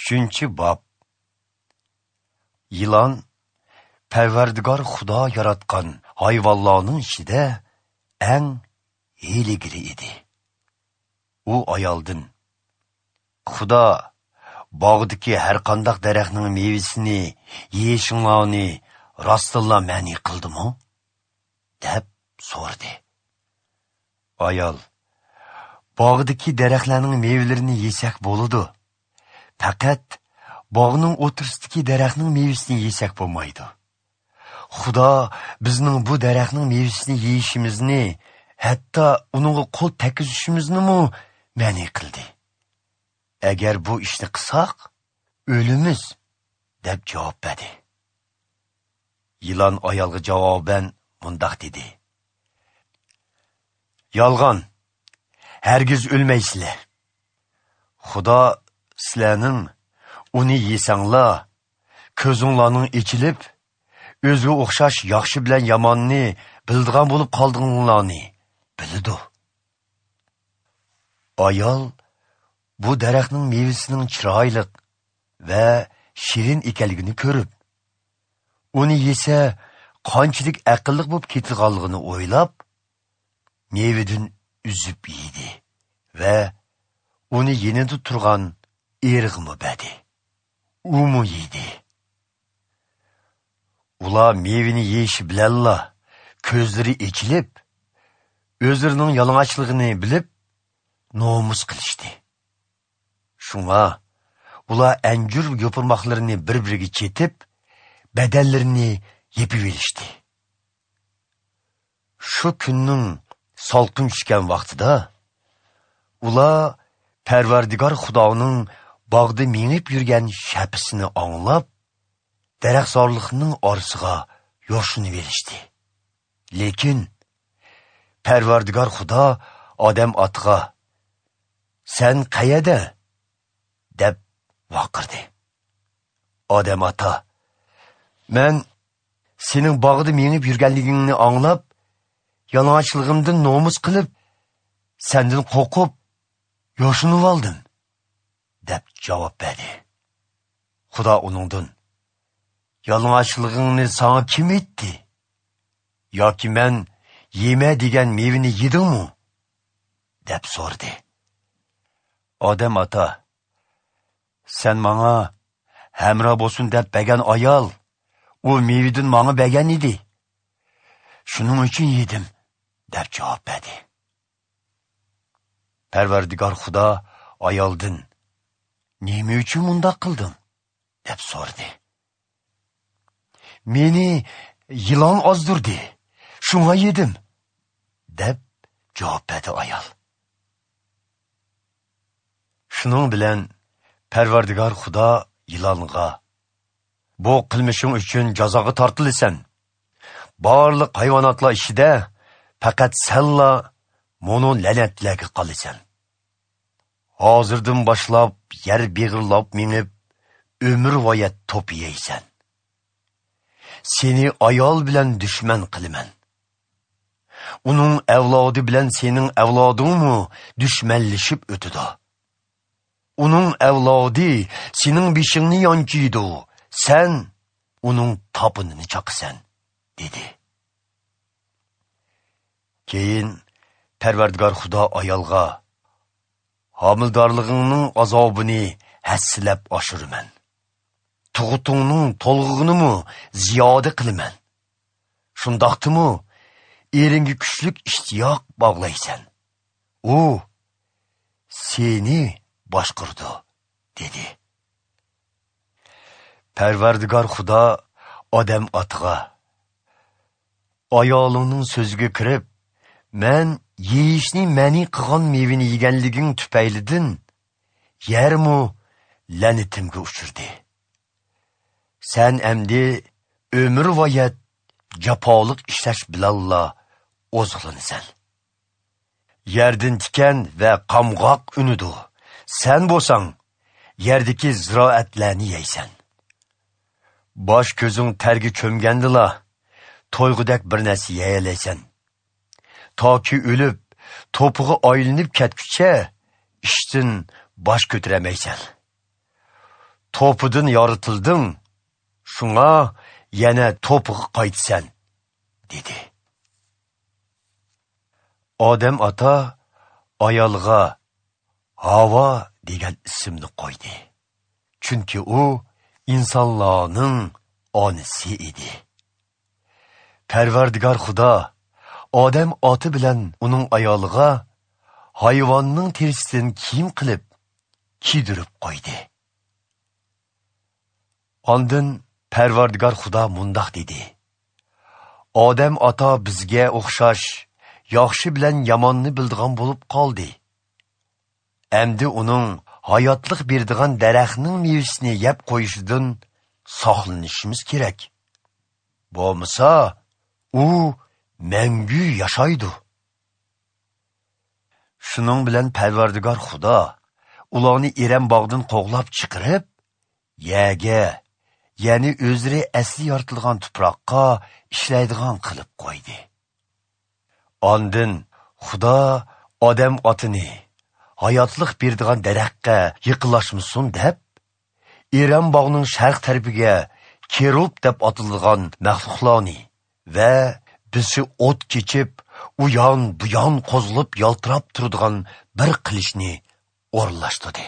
3-bob. Yılan Parvardigor Xudo yaratgan hayvonlarning ichida eng hiyligiri edi. U ayoldan: Xudo bog'dagi har qanday daraxtning mevasini yeyishinglarni rostilla ma'ni qildimi? Deb so'radi. Ayol: Bog'dagi daraxtlarning mevalarini yesak bo'ladi. Faqat bog'ning o'rtasidagi daraxtning mevasini yesak bo'lmaydi. Xudo bizning bu daraxtning mevasini yeyishimizni, hatto uningga qo'l tekkizishimizni ma'ni qildi. Agar bu ishni qilsak, o'limiz, deb javob berdi. Yılan ayolga javoban mundoq dedi: Yolg'on, hargiz o'lmaysizlar. Xudo sizlarning uni yesanglar, ko'zinglarning ichilib, o'ziga o'xshash yaxshi bilan yomonni bildigan bo'lib qoldinglarni biladi. Ayol bu daraxtning mevasining chiroyli va shirin ekanligini ko'rib, uni yesa qanchalik aqlli bo'lib ketganligini o'ylab, mevadan uzib yedi va uni yenida turgan erig'imi berdi. Umu yedi. Ular mevini yeyishi bilanla ko'zlari echilib, o'zlarining yalang'ochligini bilib, nomus qilishdi. Shunga ular anjur yo'pirmoqlarini bir-biriga chetib, badanlarini yepib olishdi. Shu kunning salqin tushgan vaqtida ular Parvardigor Xudoning bog'da minib yurgan shapisini anglab, daraxtzorliqning orasiga yoshinib olishdi. Lekin Parvardigor Xudo Odam otaga: "Sen qayerda?" deb vaqirdi. Odam ota: "Men sening bog'da minib yurganligingni anglab, yalang'ochligimdan nomus qilib, sendan qo'rqib, yoshinib oldim", deb javob berdi. Xudo uningdan: "Yalang'ochligingni sana kim aytdi? Yoki men yema degan mevani yedingmi?" deb so'radi. Odam ota: "Sen manga hamro bo'lsin deb bergan ayol, u mevadan manga bergan edi. Shuning uchun yedim", deb javob berdi. Parvardigor Xudo ayoldan: "Nima uchun bundoq qilding?" deb so'radi. "Meni yilon ozdirdi, shunga yedim", deb javob berdi ayol. Shuning bilan Parvardigor Xudo yilonga: "Bu qilmishing uchun jazoga tortilasan. Barliq hayvonotlar ichida faqat senla mono la'natlarga qolasan. Hozirdan boshlab yer beg'irlab minib, umr voyat to'p yeysan. Seni ayol bilan dushman qilaman. Uning avlodi bilan sening avlodingmi dushmanlashib o'tadi. Uning avlodi sening beshingni yonchiydi, sen uning topinini chaqasan", dedi. Keyin Parvardigor Xudo ayolga: "Homildorligingning azobini hassilab oshiraman. Tug'utingning to'lg'ig'inimi ziyoda qilaman. Shundoqdimi eringga kuchlik ishtiyoq bog'laysan. U seni boshqurdi", dedi. Parvardigor Xudo Odam otaga: "Ayolingning so'ziga kirib, men yeyishni ma'ni qilgan mevani yeganliging tufaylidan yermu la'natimga uchirdi. Sen endi ömür voyat jafoliq ishlash bilanla oziqlanasan. Yerdan tikan va qamg'oq unidi. Sen bo'lsang yerdagi ziroatlarni yeysan. Bosh ko'zing terga cho'mgandila to'yg'udak bir narsa yeyalaysan. Toki o'lib, to'pig'i aylanib ketguncha ishdan bosh ko'taramaysan. To'pidan yoritilding, shunga yana to'piga qaytsan, dedi. Odam ota ayolga Havo degan ismni qo'ydi. Chunki u insonlarning onasi edi. Parvardigor Xudo Odam oti bilan uning ayoliga hayvonning terisidan kiyim qilib kiydirib qo'ydi. Ondan Parvardigor Xudo mundoq dedi: Odam ota bizga o'xshash yaxshi bilan yomonni bildigan bo'lib qoldi. Endi uning hayotlik berdigan daraxtning mevasini yeb qo'yishidan saqlanishimiz kerak. Bo'lmasa, u mangu yashaydi. Shuning bilan Parvardigor Xudo ularni Eram bog'idan qo'g'lab chiqarib, yerga, ya'ni o'zlari asli yoritilgan tuproqqa ishlaydigan qilib qo'ydi. Ondan Xudo odam otini hayotlik berdigan daraxtga yiqilashmasin deb, Eram bog'ining sharq tarafiga kerub deb atalgan maxluqlarni va bisi o't kechib, u yon bu yon qo'zilib yaltirab turadigan bir qilichni o'rinlashtirdi.